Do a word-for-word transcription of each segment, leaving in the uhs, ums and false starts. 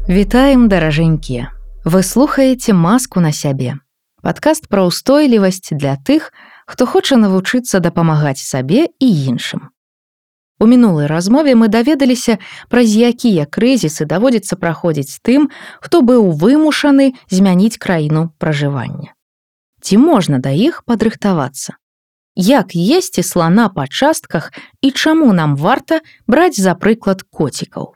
Вітаем, даражэнькія. Вы слухаеце маску на сябе. Падкаст пра ўстойлівасць для тых, хто хоча навучыцца дапамагаць сабе і іншым. У мінулай размове мы даведаліся, праз якія крызісы даводзіцца праходзіць тым, хто быў вымушаны змяніць краіну пражывання. Ці можна да іх падрыхтавацца? Як есці слана па частках і чаму нам варта браць за прыклад коцікаў?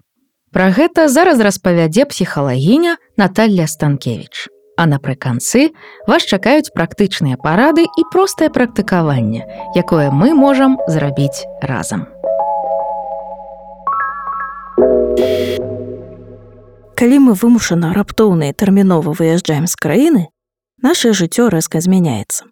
Пра гэта зараз распавядзе псіхалагіня Наталля Станкевіч. А напрыканцы вас чакаюць практычныя парады і простае практыкаванне, якое мы можам зрабіць разам. Калі мы вымушана раптоўна і тэрмінова выязджаем з краіны, наше жыццё рэзка змяняецца.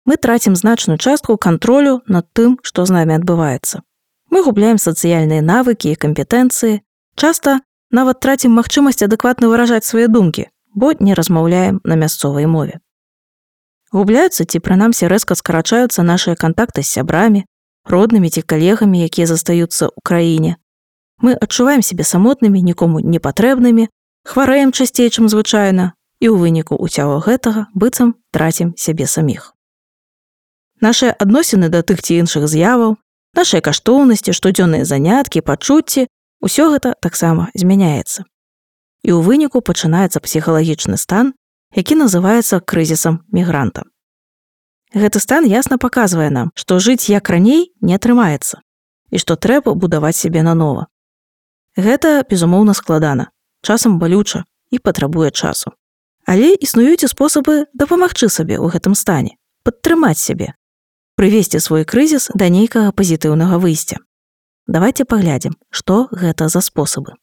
Мы трацім значную частку кантролю над тым, што з намі адбываецца. Мы губляем сацыяльныя навыкі і кампетэнцыі, часта нават трацім магчымасць адэкватна выражаць свае думкі, бо не размаўляем на мясцовай мове. Губляюцца ці прынамсі рэзка скарачаюцца нашыя кантакты з сябрамі, роднымі ці калегамі, якія застаюцца ў краіне. Мы адчуваем сябе самотнымі, нікому не патрэбнымі, хварэем часцей, чым звычайна, і ў выніку ўсяго гэтага быццам трацім сябе саміх. Нашыя адносіны да тых ці іншых з'яваў, нашыя каштоўнасці, штодзённыя заняткі, пачуцці, усё гэта таксама змяняецца. І ў выніку пачынаецца псіхалагічны стан, які называецца крызісам мігранта. Гэты стан ясна паказвае нам, што жыць як раней не атрымаецца і што трэба будаваць сябе нанова. Гэта, безумоўна, складана, часам балюча і патрабуе часу. Але існуюць і спосабы дапамагчы сабе ў гэтым стане, падтрымаць сябе, прывесці свой крызіс да нейкага пазітыўнага выйсця. Давайце паглядзім, што гэта за спосабы.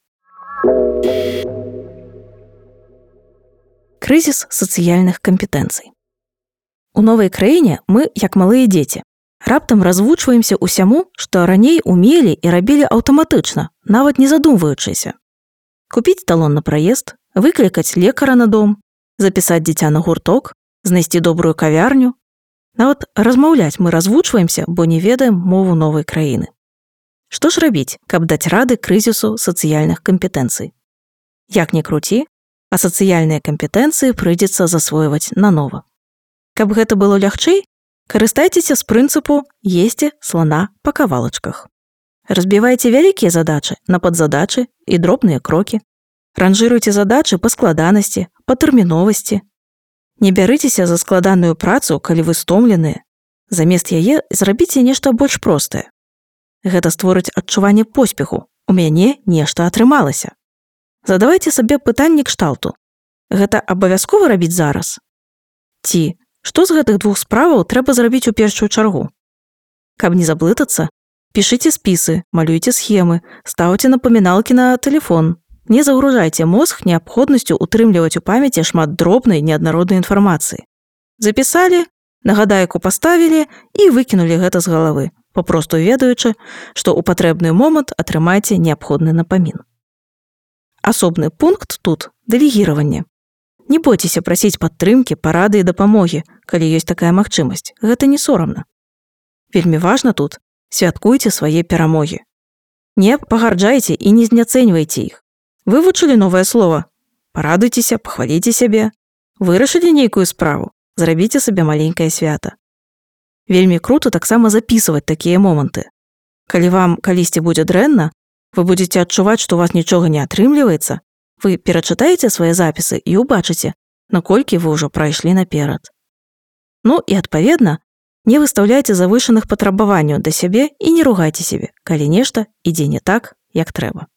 Крызіс сацыяльных кампетэнцый. У новай краіне мы, як малыя дзеці, раптам развучваемся ўсяму, што раней умелі і рабілі аўтаматычна, нават не задумваючыся. Купіць талон на праезд, выклікаць лекара на дом, запісаць дзіця на гурток, знайсці добрую кавярню. Нават размаўляць мы развучваемся, бо не ведаем мову новай краіны. Што ж рабіць, каб даць рады крызісу сацыяльных кампетэнцый? Як не круці, а сацыяльныя кампетэнцыі прыйдзецца засвойваць нанова. Каб гэта было лягчэй, карыстайцеся з прынцыпу «есці слана па кавалачках». Разбівайце вялікія задачы на падзадачы і дробныя крокі. Ранжыруйце задачы па складанасці, па тэрміновасці. Не бярыцеся за складаную працу, калі вы стомленыя. Замест яе зрабіце нешта больш простае. Гэта створыць адчуванне поспеху. У мяне нешта атрымалася. Задавайце сабе пытанне кшталту. Гэта абавязкова рабіць зараз? Ці што з гэтых двух справаў трэба зрабіць у першую чаргу? Каб не заблытацца, пішыце спісы, малюйце схемы, стаўце напаміналкі на тэлефон. Не загружайце мозг неабходнасцю утрымліваць у памяці шмат дробнай неаднароднай інфармацыі. Запісалі, нагадайку паставілі і выкінулі гэта з галавы, папросту ведаючы, што ў патрэбны момант атрымаеце неабходны напамін. Асобны пункт тут – дэлегіраванне. Не бойцеся прасіць падтрымкі, парады і дапамогі, калі ёсць такая магчымасць. Гэта не сорамна. Вельмі важна тут – святкуйце свае перамогі. Не пагарджайце і не зняцэньвайце іх. Вывучылі новае слова? Парадуйцеся, пахваліце сябе. Вырашылі нейкую справу? Зрабіце сабе маленькае свята. Вельмі круто таксама запісваць такія моманты. Калі вам калісьці будзе дрэнна, вы будзеце адчуваць, што у вас нічога не атрымліваецца, вы перачытаеце свае запісы і ўбачыце, наколькі вы ўжо прайшлі наперад. Ну і, адпаведна, не выстаўляйце завышаных патрабаванняў да сябе і не ругайце сябе, калі нешта ідзе не так, як трэба.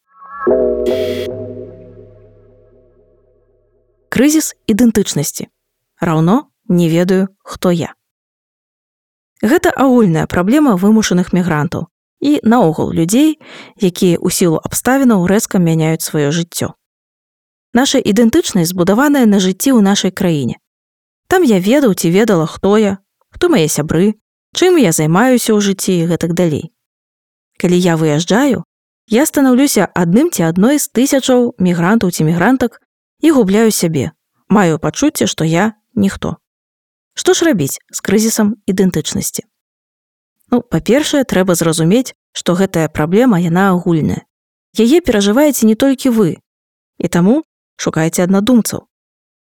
Крызіс ідэнтычнасці. Раўно не ведаю, хто я. Гэта агульная праблема вымушаных мігрантаў і наогул людзей, якія ў сілу абставінаў рэзка мяняюць сваё жыццё. Наша ідэнтычнасць збудаваная на жыцці ў нашай краіне. Там я ведаў ці ведала, хто я, хто мае сябры, чым я займаюся ў жыцці і гэтак далей. Калі я выязджаю, я станаўлюся адным ці адной з тысячаў мігрантаў ці мігрантак і губляю сябе, маю пачуцце, што я ніхто. Што ж рабіць з крызісам ідэнтычнасці? Ну, па-першае, трэба зразумець, што гэтая праблема, яна агульная. Яе перажываеце не толькі вы. І таму шукайце аднадумцаў.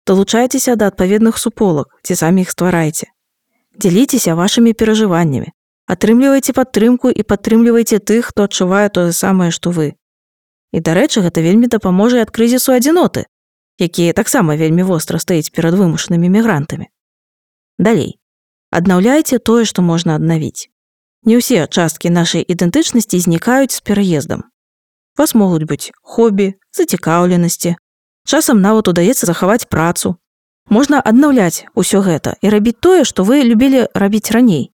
Далучайцеся да адпаведных суполак, ці самі іх стварайце. Дзяліцеся вашымі перажываннямі. Атрымлівайце падтрымку і падтрымлівайце тых, хто адчувае тое самае, што вы. І, дарэчы, гэта вельмі дапаможа ад крызісу адзіноты, які таксама вельмі востра стаіць перад вымушанымі мігрантамі. Далей. Аднаўляйце тое, што можна аднавіць. Не ўсе часткі нашай ідэнтычнасці знікаюць з пераездам. У вас могуць быць хобі, зацікаўленасці. Часам нават удаецца захаваць працу. Можна аднаўляць усё гэта і рабіць тое, што вы любілі рабіць раней.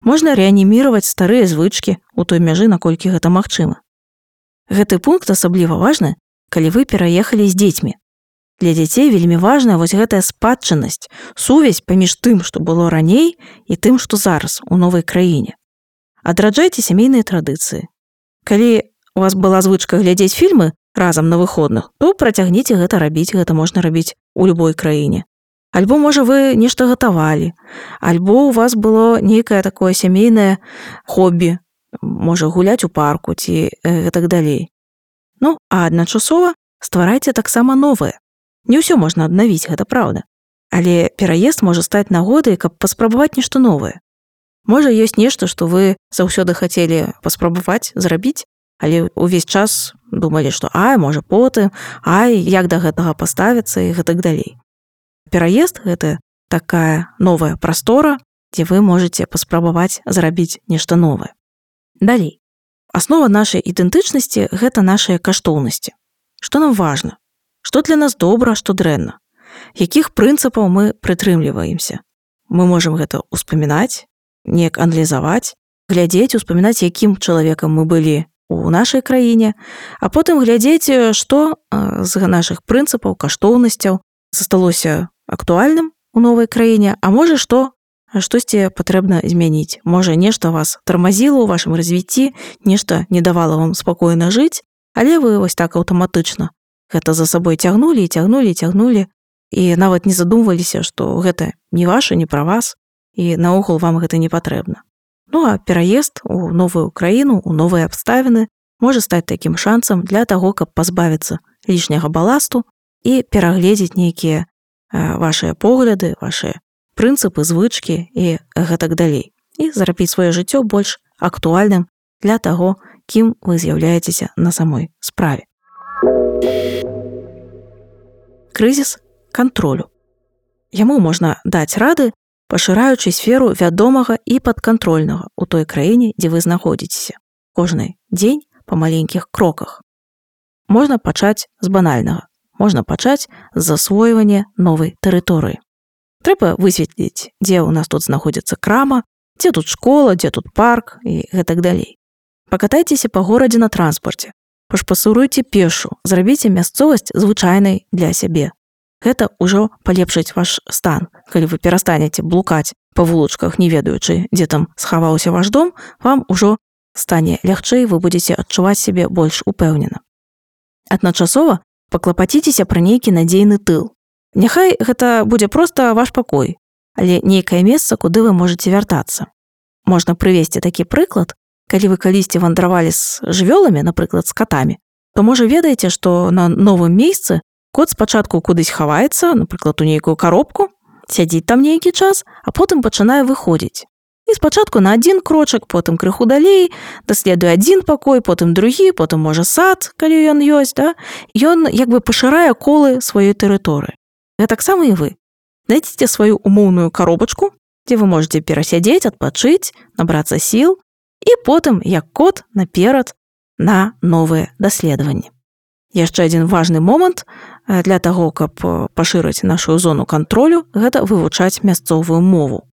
Можна рэаніміраваць старыя звычкі у той мяжы, наколькі гэта магчыма. Гэты пункт асабліва важны, калі вы пераехалі з дзецьмі. Для дзяцей вельмі важная вось гэтая спадчыннасць, сувязь паміж тым, што было раней, і тым, што зараз у новай краіне. Адраджайце сямейныя традыцыі. Калі у вас была звычка глядзець фільмы разам на выходных, то працягніце гэта рабіць, гэта можна рабіць у любой краіне. Альбо, можа, вы нешта гатавалі, альбо у вас было нейкае такое сямейнае хобі, можа, гуляць у парку ці э, так далей. Ну, а адначасова стварайце таксама новае. Не ўсё можна аднавіць, гэта праўда. Але пераезд можа стаць нагодай, каб паспрабаваць нешта новае. Можа, ёсць нешта, што вы заўсёды хацелі паспрабаваць, зрабіць, але ўвесь час думалі, што ай, можа, потым, ай, як да гэтага паставіцца і гэтак далей. Пераезд – гэта такая новая прастора, дзе вы можаце паспрабаваць зрабіць нешта новае. Далей. Аснова нашай ідэнтычнасці – гэта нашыя каштоўнасці. Што нам важна? Што для нас добра, што дрэнна? Якіх прынцыпаў мы прытрымліваемся? Мы можам гэта ўспамінаць, неяк аналізаваць, глядзець, успамінаць, якім чалавекам мы былі у нашай краіне, а потым глядзець, што з нашых прынцыпаў, каштоўнасцяў засталося актуальным у новай краіне, а можа, што штосьці патрэбна змяніць. Можа, нешта вас тармазіла ў вашым развіцці, нешта не давала вам спакойна жыць, але вы вось так аўтаматычна гэта за сабой цягнулі і цягнулі, цягнулі, і нават не задумваліся, што гэта не ваша, не пра вас, і наогул вам гэта не патрэбна. Ну, а пераезд у новую краіну, у новыя абставіны можа стаць такім шансам для таго, каб пазбавіцца лішняга баласту і перагледзець нейкія вашыя погляды, вашыя прынцыпы, звычкі і гэтак далей. І зрабіць сваё жыццё больш актуальным для таго, кім вы з'яўляецеся на самой справе. Крызіс кантролю. Яму можна даць рады, пашыраючы сферу вядомага і падкантрольнага ў той краіне, дзе вы знаходзіцеся. Кожны дзень па маленькіх кроках. Можна пачаць з банальнага. Можна пачаць з засвойвання новай тэрыторыі. Трэба высветліць, дзе ў нас тут знаходзіцца крама, дзе тут школа, дзе тут парк і гэтак далей. Пакатайцеся па горадзе на транспарце, пашпасуруйце пешу, зрабіце мясцовасць звычайнай для сябе. Гэта ўжо палепшыць ваш стан. Калі вы перастанеце блукаць па вулачках, не ведаючы, дзе там схаваўся ваш дом, вам ужо стане лягчэй, вы будзеце адчуваць сябе больш упэўнена. Адначасова паклапаціцеся пра нейкі надзейны тыл. Няхай гэта будзе проста ваш пакой, але нейкае месца, куды вы можаце вяртацца. Можна прывесці такі прыклад, калі вы калісьці вандравалі з жывёламі, напрыклад, з катамі, то можа ведаеце, што на новым месцы кот спачатку кудысь хаваецца, напрыклад, у нейкую каробку, сядзіць там нейкі час, а потым пачынае выходзіць. І спачатку на адзін крочак, потым крыху далей, даследуе адзін пакой, потым другі, потым, можа, сад, калі ён ёсць, да? Ён як бы пашырае колы сваёй тэрыторыі. Гэтаксама і вы. Знайдзіце сваю умоўную каробачку, дзе вы можаце перасядзець, адпачыць, набрацца сіл, і потым, як кот, наперад на новыя даследаванні. Яшчэ адзін важны момант для таго, каб пашырыць нашу зону кантролю, гэта вывучаць мясцовую мову.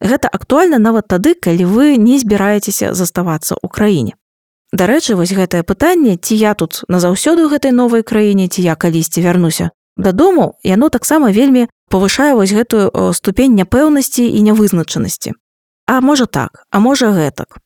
Гэта актуальна нават тады, калі вы не збіраецеся заставацца ў краіне. Дарэчы, вось гэтае пытанне, ці я тут назаўсёды ў гэтай новай краіне, ці я калісьці вярнуся дадому, яно таксама вельмі павышае вось гэтую ступень няпэўнасці і нявызначанасці. А можа так, а можа гэтак.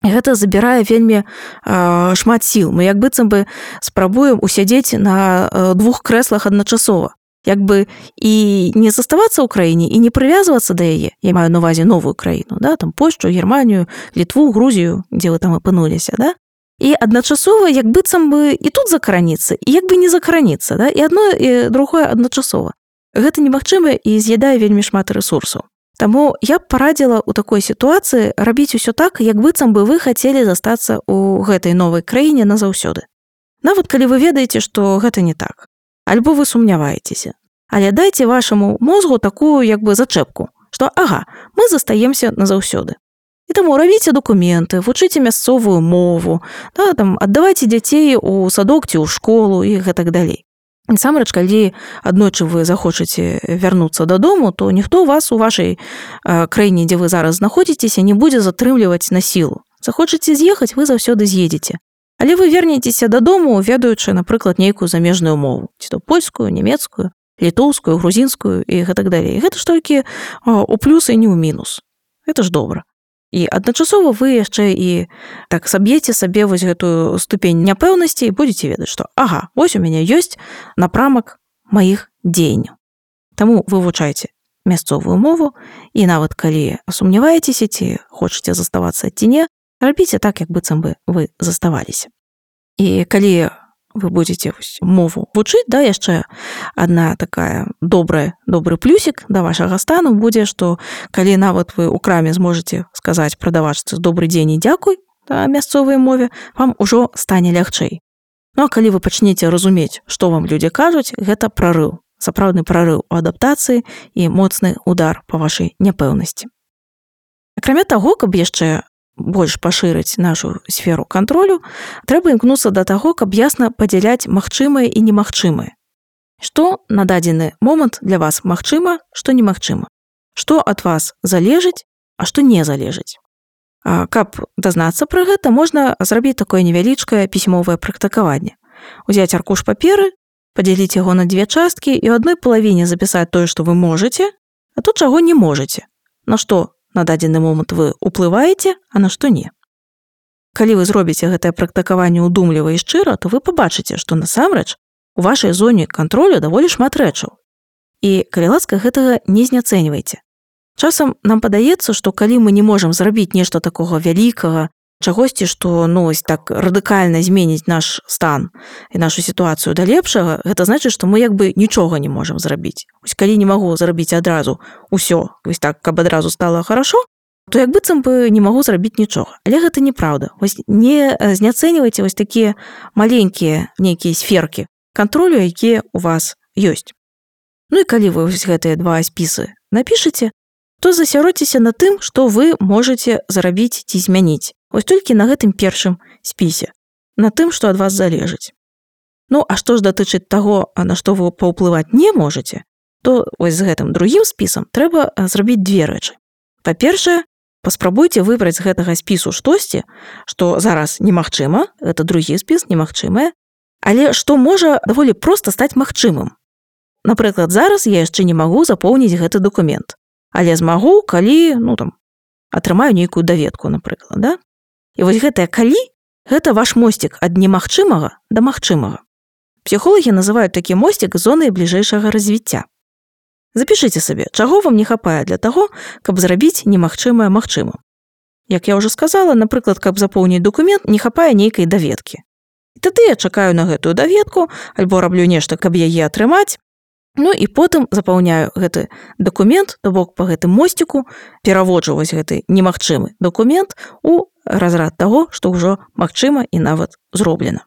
Гэта забірае вельмі э, шмат сіл. Мы як быццам бы спрабуем усядзець на э, двух крэслах адначасова. Як бы і не заставацца ў краіне, і не прывязвацца да яе. Я маю на ўвазе новую краіну, да? Там Польшчу, Германію, Літву, Грузію, дзе вы там апынуліся, да? І адначасова як быццам бы і тут закараніцца, і як бы не закараніцца, да? І адно і другое адначасова. Гэта немагчыма і з'ядае вельмі шмат рэсурсаў. Таму я б парадзіла ў такой сітуацыі рабіць усё так, як быццам бы вы хацелі застацца ў гэтай новай краіне назаўсёды. Нават калі вы ведаеце, што гэта не так. Альбо вы сумняваецеся. Але дайце вашаму мозгу такую як бы зачэпку, што ага, мы застаемся назаўсёды. І таму рабіце дакументы, вучыце мясцовую мову, да, там, аддавайце дзяцей у садок ці ў школу і гэтак далей. Насамрэч, калі аднойчы вы захочаце вярнуцца дадому, то ніхто вас у вашай э, краіне, дзе вы зараз знаходзіцеся, не будзе затрымліваць на сілу. Захочаце з'ехаць, вы заўсёды з'едзеце. Але вы вернецеся дадому, ведаючы, напрыклад, нейкую замежную мову, ці то польскую, нямецкую, літоўскую, грузінскую і гэтак далей. Гэта ж толькі э, у плюс і не ў мінус. Гэта ж добра. І адначасова вы яшчэ і так саб'еце сабе вось гэтую ступень няпэўнасці і будзеце ведаць, што ага, вось у мяне ёсць напрамак маіх дзеянняў. Таму вывучайце мясцовую мову і нават калі сумняваецеся, ці хочаце заставацца ці не, рабіце так, як быццам бы вы заставаліся. І калі вы будзеце мову вучыць, да, яшчэ адна такая добрая, добры плюсік да вашага стану будзе, што калі нават вы ў краме зможаце сказаць прадавачцы добры дзень і дзякуй да мясцовай мове, вам ужо стане лягчэй. Ну а калі вы пачнеце разумець, што вам людзі кажуць, гэта прарыў, сапраўдны прарыў у адаптацыі і моцны удар па вашай няпэўнасці. Акрамя таго, каб яшчэ больш пашырыць нашу сферу кантролю, трэба імкнуцца да таго, каб ясна падзяляць магчымае і немагчымае. Што на дадзены момант для вас магчыма, што немагчыма. Што ад вас залежыць, а што не залежыць. А каб дазнацца пра гэта, можна зрабіць такое невялічкае пісьмовае практыкаванне. Узяць аркуш паперы, падзяліць яго на дзве часткі і ў адной палавіне запісаць тое, што вы можаце, а то чаго не можаце. На што на дадзены момант вы ўплываеце, а на што не. Калі вы зробіце гэтае практыкаванне ўдумліва і шчыра, то вы пабачыце, што насамрэч у вашай зоне кантролю даволі шмат рэчаў. І, калі ласка, гэтага не зняцэньвайце. Часам нам падаецца, што калі мы не можам зрабіць нешта такога вялікага, чагосьці, што ну, ось так радыкальна зменіць наш стан і нашу сітуацыю да лепшага, гэта значыць, што мы як бы нічога не можам зрабіць. Ось калі не магу зрабіць адразу ўсё, вось так, каб адразу стала хорошо, то як быццам бы не магу зрабіць нічога. Але гэта неправда. Вось не зняцэньвайце вось такія маленькія нейкія сферкі кантролю, якія у вас ёсць. Ну і калі вы вось гэтыя два спісы напішыце, то засяродзіцеся на тым, што вы можаце зрабіць ці змяніць. Вось толькі на гэтым першым спісе, на тым, што ад вас залежыць. Ну, а што ж датычыць таго, на што вы паўплываць не можаце, то вось з гэтым другім спісам трэба зрабіць две рэчы. Па-першае, паспрабуйце выбраць з гэтага спісу штосьці, што зараз немагчыма, гэта другі спіс, немагчымае, але што можа даволі проста стаць магчымым. Напрыклад, зараз я яшчэ не магу запоўніць гэты дакумент, але змагу, калі, ну там, атрымаю нейкую даведку, напрыклад, да? І вось гэтае калі, гэта ваш мосцік ад немагчымага да магчымага. Псіхолагі называюць такі мосцік зонай бліжэйшага развіцця. Запішыце сабе, чаго вам не хапае для таго, каб зрабіць немагчымае магчымым. Як я ўжо сказала, напрыклад, каб запоўніць дакумент, не хапае нейкай даведкі. І тады я чакаю на гэтую даведку, альбо раблю нешта, каб яе атрымаць, ну і потым запаўняю гэты дакумент, то бок па гэтым мосціку пераводжу вось гэты немагчымы дакумент у разрад таго, што ўжо магчыма і нават зроблена.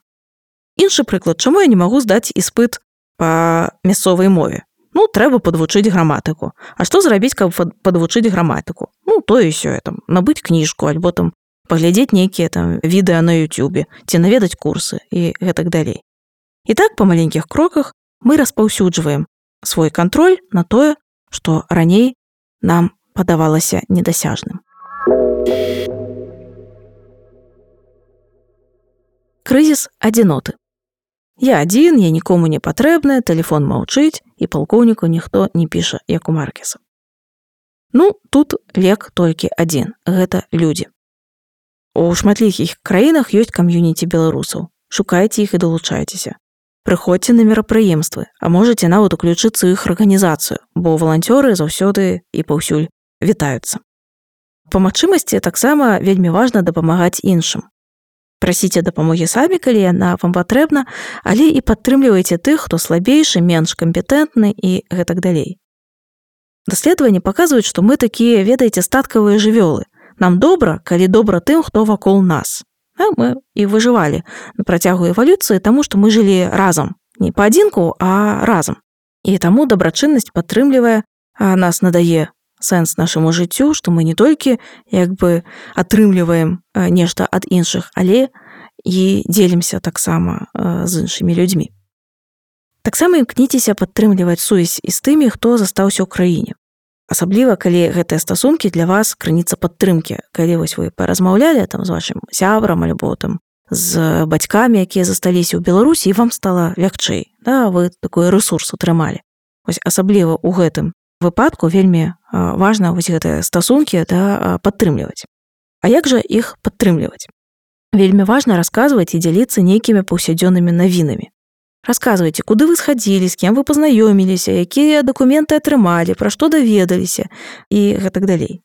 Іншы прыклад, чаму я не магу здаць іспыт па мясцовай мове? Ну, трэба падвучыць граматыку. А што зрабіць, каб падвучыць граматыку? Ну, то і сё, там, набыць кніжку, альбо там паглядзець нейкія там відэа на ютубе, ці наведаць курсы і гэтак далей. І так, па маленькіх кроках мы распаўсюджваем свой кантроль на тое, што раней нам падавалася недасяжным. Крызіс адзіноты. Я адзін, я нікому не патрэбны, тэлефон маўчыць, і палкоўніку ніхто не піша, як у Маркеса. Ну, тут лек толькі адзін, гэта людзі. У шматлікіх краінах ёсць кам'юніці беларусаў. Шукайце іх і далучайцеся. Прыходзьце на мерапрыемствы, а можаце нават уключыцца ў іх арганізацыю, бо валанцёры заўсёды і паўсюль вітаюцца. Па магчымасці таксама вельмі важна дапамагаць іншым. Прасіце дапамогі самі, калі яна вам патрэбна, але і падтрымлівайце тых, хто слабейшы, менш кампетэнтны і гэтак далей. Даследаванні паказваюць, што мы такія, ведаеце, статкавыя жывёлы. Нам добра, калі добра тым, хто вакол нас. А мы і выжывалі на працягу эвалюцыі, таму што мы жылі разам. Не паадзінку, а разам. І таму дабрачыннасць падтрымлівае, а нас надае сэнс нашаму жыццю, што мы не толькі як бы атрымліваем нешта ад іншых, але і дзелімся таксама з іншымі людзьмі. Таксама імкніцеся падтрымліваць сувязь і з тымі, хто застаўся ў краіне. Асабліва, калі гэтыя стасункі для вас крыніца падтрымкі, калі вось вы паразмаўлялі там з вашым сябрам альбо там з бацькамі, якія засталіся ў Беларусі, і вам стала лягчэй, да, вы такой рэсурс атрымалі. Вось асабліва ў гэтым выпадку вельмі важна вось гэтыя стасункі, да, падтрымліваць. А як жа іх падтрымліваць? Вельмі важна расказваць і дзяліцца нейкімі паўсядзённымі навінамі. Расказвайце, куды вы схадзілі, з кем вы пазнаёміліся, якія дакументы атрымалі, пра што даведаліся і гэтак далей.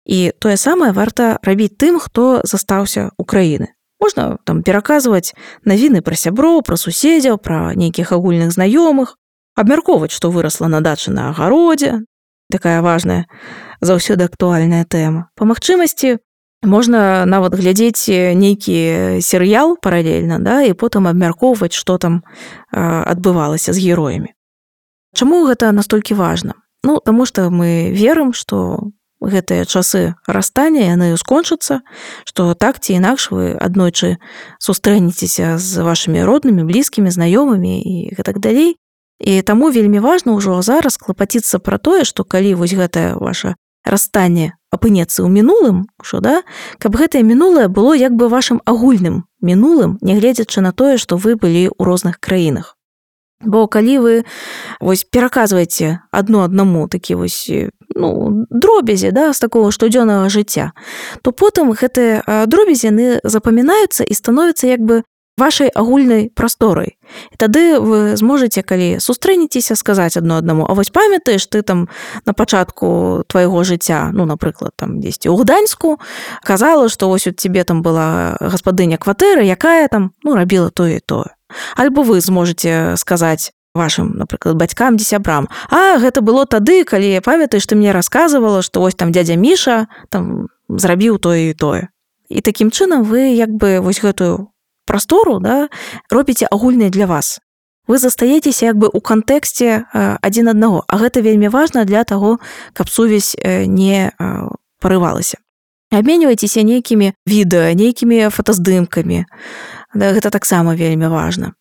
І тое самае варта рабіць тым, хто застаўся ў краіны. Можна там пераказваць навіны пра сяброў, пра суседзяў, пра нейкіх агульных знаёмых, абмяркоўваць, што вырасла на дачы на агародзе, такая важная, заўсёды актуальная тэма. Па магчымасці можна нават глядзець нейкі серыял паралельна, да, і потым абмяркоўваць, што там э, адбывалася з героямі. Чаму гэта настолькі важна? Ну, таму што мы верым, што гэтыя часы расстання яны скончацца, што так ці інакш вы аднойчы сустрэнецеся з вашымі роднымі, блізкімі, знаёмымі і гэтак далей. І таму вельмі важна ўжо зараз клапаціцца пра тое, што калі вось гэтае ваша расстанне апынецца ў мінулым, що, да, каб гэтае мінулае было як бы вашым агульным мінулым, нягледзячы на тое, што вы былі ў розных краінах. Бо калі вы вось пераказваеце адно аднаму такі вось, ну, дробязі, да, з такого штодзённага жыцця, то потым гэтыя дробязі яны запамінаюцца і становяцца як бы вашай агульнай прасторай. І тады вы зможаце, калі сустрэнецеся, сказаць адно аднаму: а вось памятаеш, ты там на пачатку твайго жыцця, ну, напрыклад, там дзесьці ў Гданьску, казала, што вось у цябе там была гаспадыня кватэры, якая там, ну, рабіла тое і тое. Альбо вы зможаце сказаць вашым, напрыклад, бацькам ці сябрам: а гэта было тады, калі, памятаеш, ты мне расказвала, што вось там дзядзя Міша там зрабіў тое і тое. І такім чынам вы як бы вось гэтую прастору, да, робіце агульнай для вас. Вы застаецеся як бы ў кантэксце адзін аднаго, а гэта вельмі важна для таго, каб сувязь не парывалася. Абменьвайцеся нейкімі відэа, нейкімі фотаздымкамі. Да, гэта таксама вельмі важна.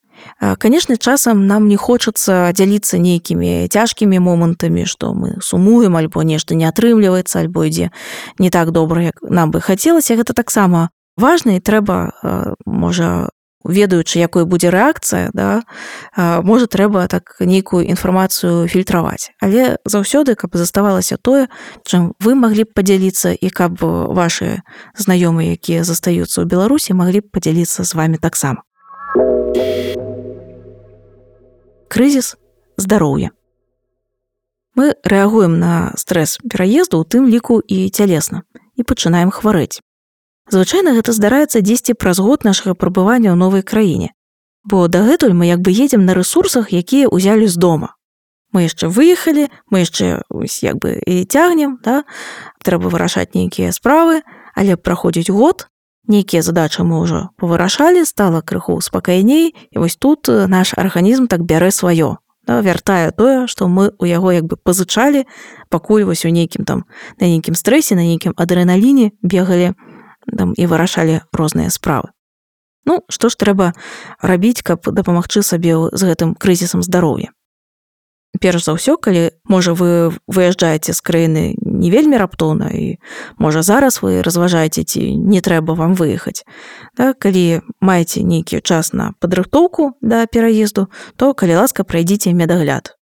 Канешне, часам нам не хочацца дзяліцца нейкімі цяжкімі момантамі, што мы сумуем, альбо нешта не атрымліваецца, альбо ідзе не так добра, як нам бы хацелася. Гэта таксама важна, і трэба, можа, ведаючы, якой будзе рэакцыя, да, можа, трэба так нейкую інфармацыю фільтраваць. Але заўсёды, каб заставалася тое, чым вы маглі б падзяліцца, і каб вашы знаёмыя, якія застаюцца ў Беларусі, маглі б падзяліцца з вамі таксама. Крызіс здароўя. Мы рэагуем на стрэс пераезду, у тым ліку і цялесна, і пачынаем хварэць. Звычайна гэта здараецца дзесьці праз год нашага прабывання ў новай краіне, бо дагэтуль мы як бы едзем на рэсурсах, якія ўзялі з дома. Мы яшчэ выехалі, мы яшчэ як бы і цягнем, да? Трэба вырашаць нейкія справы, але праходзіць год, нейкія задачы мы ўжо павырашалі, стала крыху спакайней, і вось тут наш арганізм так бярэ сваё, да? Вяртае тое, што мы ў яго як бы пазычалі, пакуль вось у нейкім там, на нейкім стрэсе, на нейкім адрэналіне бегалі там і вырашалі розныя справы. Ну, што ж трэба рабіць, каб дапамагчы сабе з гэтым крызісам здароўя? Перш за ўсё, калі, можа, вы выязджаеце з краіны не вельмі раптоўна, і, можа, зараз вы разважаеце, ці не трэба вам выехаць. Да, калі маеце нейкі час на падрыхтоўку да пераезду, то, калі ласка, прайдзіце медагляд.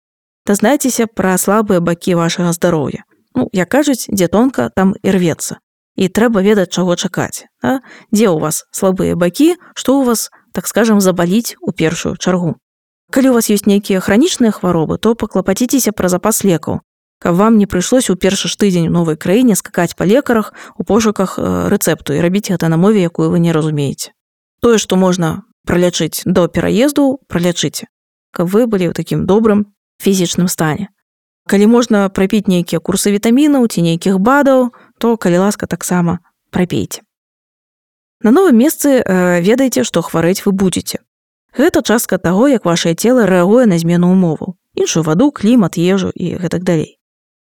Дазнайцеся пра слабыя бакі вашага здароўя. Ну, як кажуць, дзе тонка, там і рвецца. І трэба ведаць, чаго чакаць. Да? Дзе ў вас слабыя бакі, што ў вас, так скажам, забаліць у першую чаргу. Калі у вас ёсць нейкія хранічныя хваробы, то паклапаціцеся пра запас лекаў, каб вам не прыйшлось у першы ж тыдзень у новай краіне скакаць па лекарах у пошуках рэцэпту і рабіць гэта на мове, якую вы не разумееце. Тое, што можна пралячыць до пераезду, пралячыце, каб вы былі ў такім добрым фізічным стане. Калі можна прапіць нейкія курсы вітамінаў ці нейкіх бадаў, то, калі ласка, таксама прапейце. На новым месцы э, ведайце, што хварэць вы будзеце. Гэта частка таго, як вашае цела рэагуе на змену умоваў, іншую ваду, клімат, ежу і гэтак далей.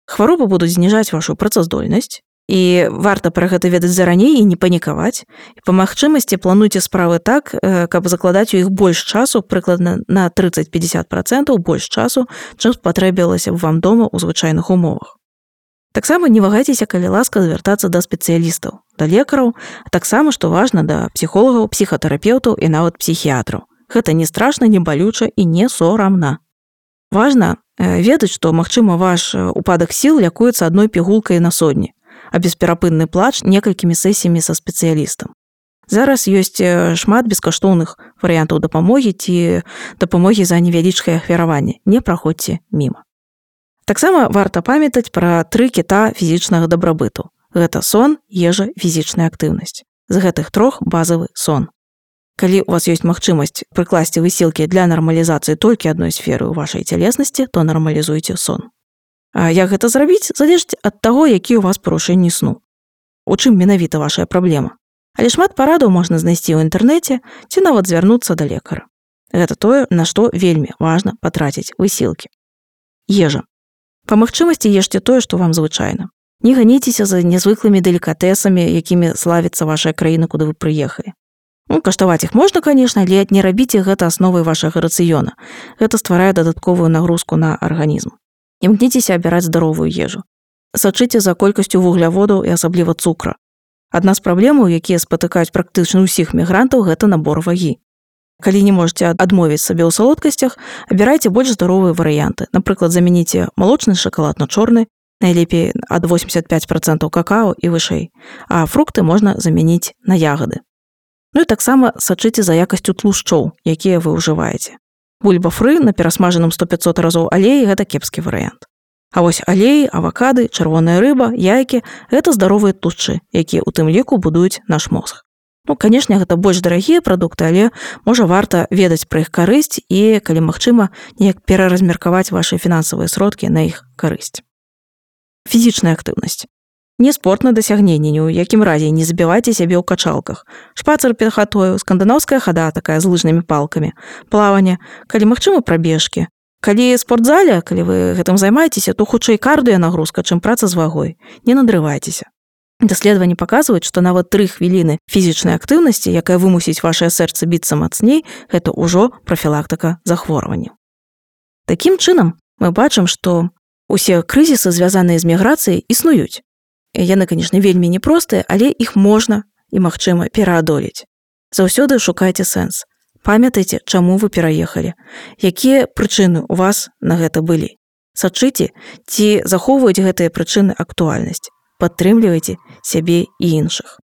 Хваробы будуць зніжаць вашу працаздольнасць, і варта пра гэта ведаць зараней і не панікаваць. І па магчымасці плануйце справы так, каб закладаць у іх больш часу, прыкладна на трыццаць-пятьдесят процентаў больш часу, чым спатрэбілася б вам дома ў звычайных умовах. Таксама не вагайцеся, калі ласка, звяртацца да спецыялістаў, да лекараў, а таксама, што важна, да псіхолагаў, псіхатэрапеўтаў і нават псіхіятраў. Гэта не страшна, не балюча і не сорамна. Важна ведаць, што, магчыма, ваш упадак сіл лякуецца адной пігулкай на сотні, а бесперапынны плач некалькімі сесіямі са спецыялістам. Зараз ёсць шмат бескаштоўных варыянтаў дапамогі ці дапамогі за невялічкае ахвяраванне. Не праходзьце міма. Таксама варта памятаць пра тры кіта фізічнага дабрабыту. Гэта сон, ежа, фізічная актыўнасць. З гэтых трох базавы сон. Калі у вас ёсць магчымасць прыкласці высілкі для нармалізацыі толькі адной сферы ў вашай цялеснасці, то нармалізуйце сон. А як гэта зрабіць, залежыць ад таго, які ў вас парушэнні сну. У чым менавіта вашая праблема. Але шмат парадаў можна знайсці ў інтэрнэце ці нават звярнуцца да лекара. Гэта тое, на што вельмі важна патраціць высілкі. Ежа. Па магчымасці ешце тое, што вам звычайна. Не ганіцеся за нязвыклымі делікатэсамі, якімі славіцца вашая краіна, куды вы прыехалі. Ну, каштаваць іх можна, конечно, але не рабіце гэта асновай вашага рацыёна. Гэта стварае дадатковую нагрузку на арганізм. Імкніцеся абіраць здаровую ежу. Сачыце за колькасцю вугляводаў і асабліва цукра. Адна з праблемаў, якія спатыкаюць практычна ўсіх мігрантаў, гэта набор вагі. Калі не можаце адмовіць сабе ў салодкасцях, абірайце больш здаровыя варыянты. Напрыклад, замяніце малочны шакалад на чорны, найлепей ад восемьдесят пять процентаў какао і вышэй, а фрукты можна замяніць на ягады. Ну і таксама сачыце за якасцю тлушчоў, якія вы ўжываеце. Бульба-фры на перасмажаным сто пятьсот разоў алеі – гэта кепскі варыянт. А вось алеі, авакады, чырвоная рыба, яйкі – гэта здаровыя тлушчы, якія ў тым ліку будуюць наш мозг. Ну, канешне, гэта больш дарагія прадукты, але можа варта ведаць пра іх карысць і, калі магчыма, неяк пераразмеркаваць вашы фінансавыя сродкі на іх карысць. Фізічная актыўнасць. Не спорт на дасягненне, ні ў якім разе не забівайце сябе ў качалках. Шпацыр перад хатою, скандынаўская хада такая з лыжнымі палкамі, плаванне, калі магчыма прабежкі. Калі спортзале, калі вы гэтым займаецеся, то хутчэй кардыянагрузка, чым праца з вагой. Не надрывайцеся. Даследаванні паказваюць, што нават тры хвіліны фізічнай актыўнасці, якая вымусіць вашае сэрца біцца мацней, гэта ўжо прафілактыка захворвання. Такім чынам, мы бачым, што усе крызісы, звязаныя з міграцыяй, існуюць. Яны, канешне, вельмі непростыя, але іх можна і магчыма пераадолець. Заўсёды шукайце сэнс. Памятайце, чаму вы пераехалі, якія прычыны ў вас на гэта былі. Сачыце, ці захоўваюць гэтыя прычыны актуальнасць. Падтрымлівайце сябе і іншых.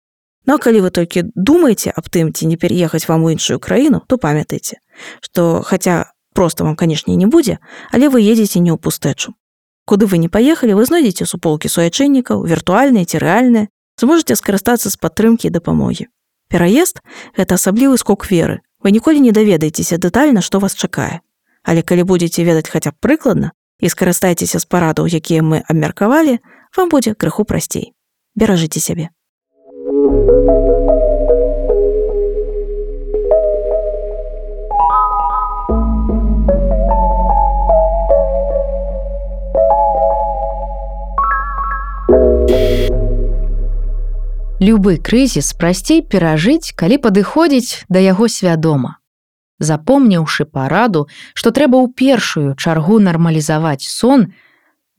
Ну, а калі вы толькі думаеце аб тым, ці не пераехаць вам у іншую краіну, то памятайце, што хаця проста вам, канешне, не будзе, але вы едзеце не ў пустэчу. Куды вы не паехалі, вы знойдзеце суполкі суайчыннікаў, віртуальныя ці рэальныя, зможаце скарыстацца з падтрымкі і дапамогі. Пераезд – гэта асаблівы скок веры. Вы ніколі не даведаецеся дэтальна, што вас чакае. Але калі будзеце ведаць хаця б прыкладна і скарыстайцеся з парадаў, якія мы абмеркавалі, вам будзе крыху прасцей. Беражыце сябе. Любы крызіс прасцей перажыць, калі падыходзіць да яго свядома. Запомніўшы параду, што трэба ў першую чаргу нармалізаваць сон,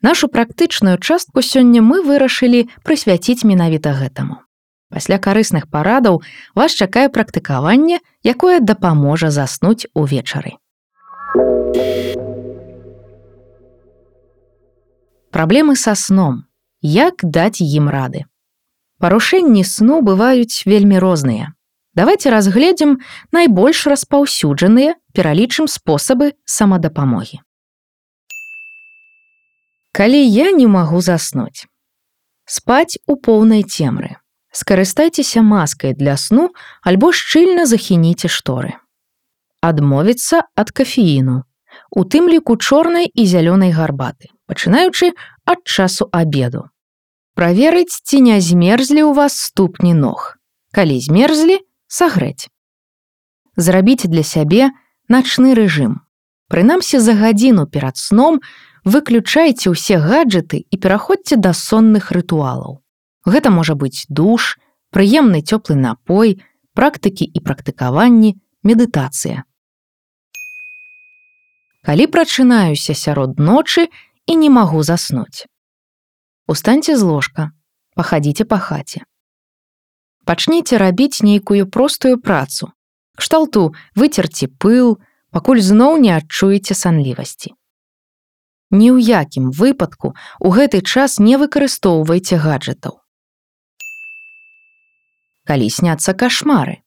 нашу практычную частку сёння мы вырашылі прысвяціць менавіта гэтаму. Пасля карысных парадаў вас чакае практыкаванне, якое дапаможа заснуць увечары. Праблемы са сном. Як даць ім рады? Парушэнні сну бываюць вельмі розныя. Давайце разгледзім найбольш распаўсюджаныя, пералічым спосабы самадапамогі. Калі я не магу заснуць. Спаць у поўнай цемры. Скарыстайцеся маскай для сну альбо шчыльна захініце шторы. Адмовіцца ад кафеіну, у тым ліку чорнай і зялёнай гарбаты, пачынаючы ад часу абеду. Праверыць, ці не змерзлі ў вас ступні ног. Калі змерзлі, сагрэць. Зрабіць для сябе начны рэжым. Прынамсі за гадзіну перад сном выключайце ўсе гаджеты і пераходзьце да сонных рытуалаў. Гэта можа быць душ, прыемны цёплы напой, практыкі і практыкаванні, медытацыя. Калі прачынаюся сярод ночы і не магу заснуць. Устаньце з ложка, пахадзіце па хаце. Пачніце рабіць нейкую простую працу. Кшталту выцерці пыл, пакуль зноў не адчуеце санлівасці. Ні ў якім выпадку ў гэты час не выкарыстоўвайце гаджетаў. Калі сняцца кашмары.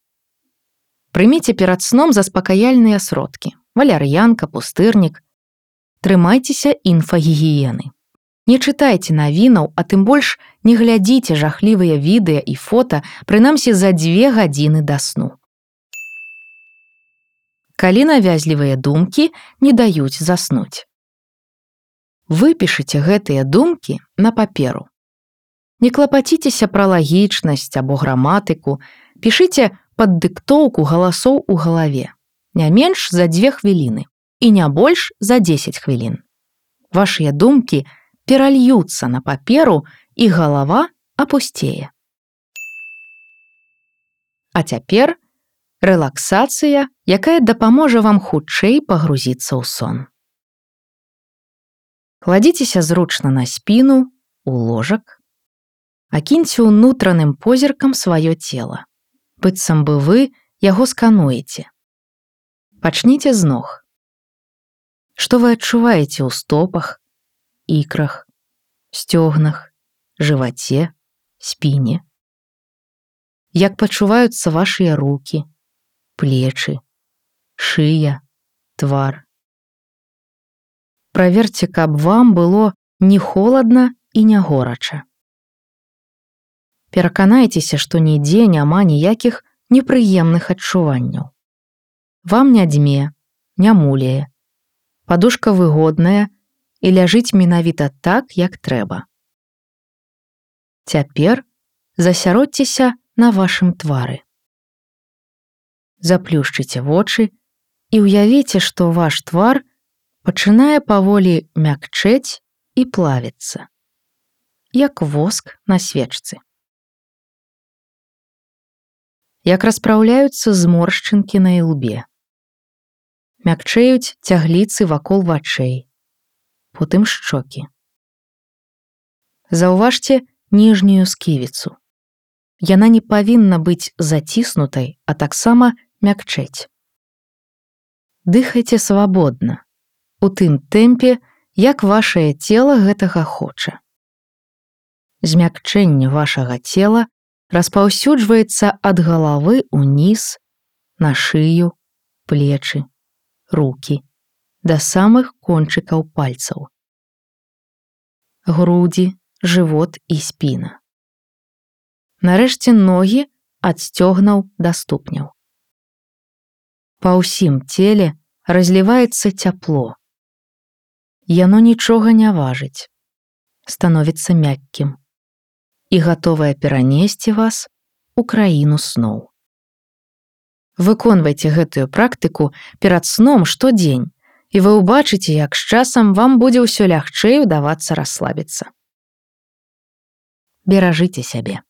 Прыміце перад сном заспакаяльныя сродкі. Валяр'янка, пустырнік. Трымайцеся інфагігіены. Не чытайце навінаў, а тым больш не глядзіце жахлівыя відэа і фота, прынамсі за дзве гадзіны да сну. Калі навязлівыя думкі не даюць заснуць. Выпішыце гэтыя думкі на паперу. Не клапаціцеся пра лагічнасць або граматыку, пішыце пад дыктоўку галасоў у галаве. Не менш за дзве хвіліны і не больш за дзесяць хвілін. Вашыя думкі перальюцца на паперу і галава апусцее. А цяпер рэлаксацыя, якая дапаможа вам хутчэй пагрузіцца ў сон. Кладзіцеся зручна на спіну, у ложак. Акіньце ўнутраным позіркам сваё цела. Быццам бы вы яго скануеце. Пачніце з ног. Што вы адчуваеце ў стопах, ікрах, сцёгнах, жываце, спіне? Як пачуваюцца вашыя рукі, плечы, шыя, твар? Праверце, каб вам было не холадна і не горача. Пераканайцеся, што нідзе няма ніякіх непрыемных адчуванняў. Вам не дзьме, не муляе. Падушка выгодная і ляжыць менавіта так, як трэба. Цяпер засяродзьцеся на вашым твары. Заплюшчыце вочы і ўявіце, што ваш твар пачынае паволі мякчэць і плавіцца, як воск на свечцы. Як распраўляюцца зморшчынкі на ілбе. Мякчэюць цягліцы вакол вачэй, потым шчокі. Заўважце ніжнюю сківіцу. Яна не павінна быць заціснутай, а таксама мякчэць. Дыхайце свабодна, у тым тэмпе, як вашае цела гэтага хоча. Змякчэнне вашага цела распаўсюджваецца ад галавы ўніз, на шыю, плечы, рукі, да самых кончыкаў пальцаў. Грудзі, жывот і спіна. Нарэшце ногі ад сцёгнаў да ступняў. Па ўсім целе разліваецца цяпло. Яно нічога не важыць, становіцца мяккім і гатовае перанесці вас у краіну сноў. Выконвайце гэтую практыку перад сном штодзень, і вы ўбачыце, як з часам вам будзе ўсё лягчэй удавацца расслабіцца. Беражыце сябе.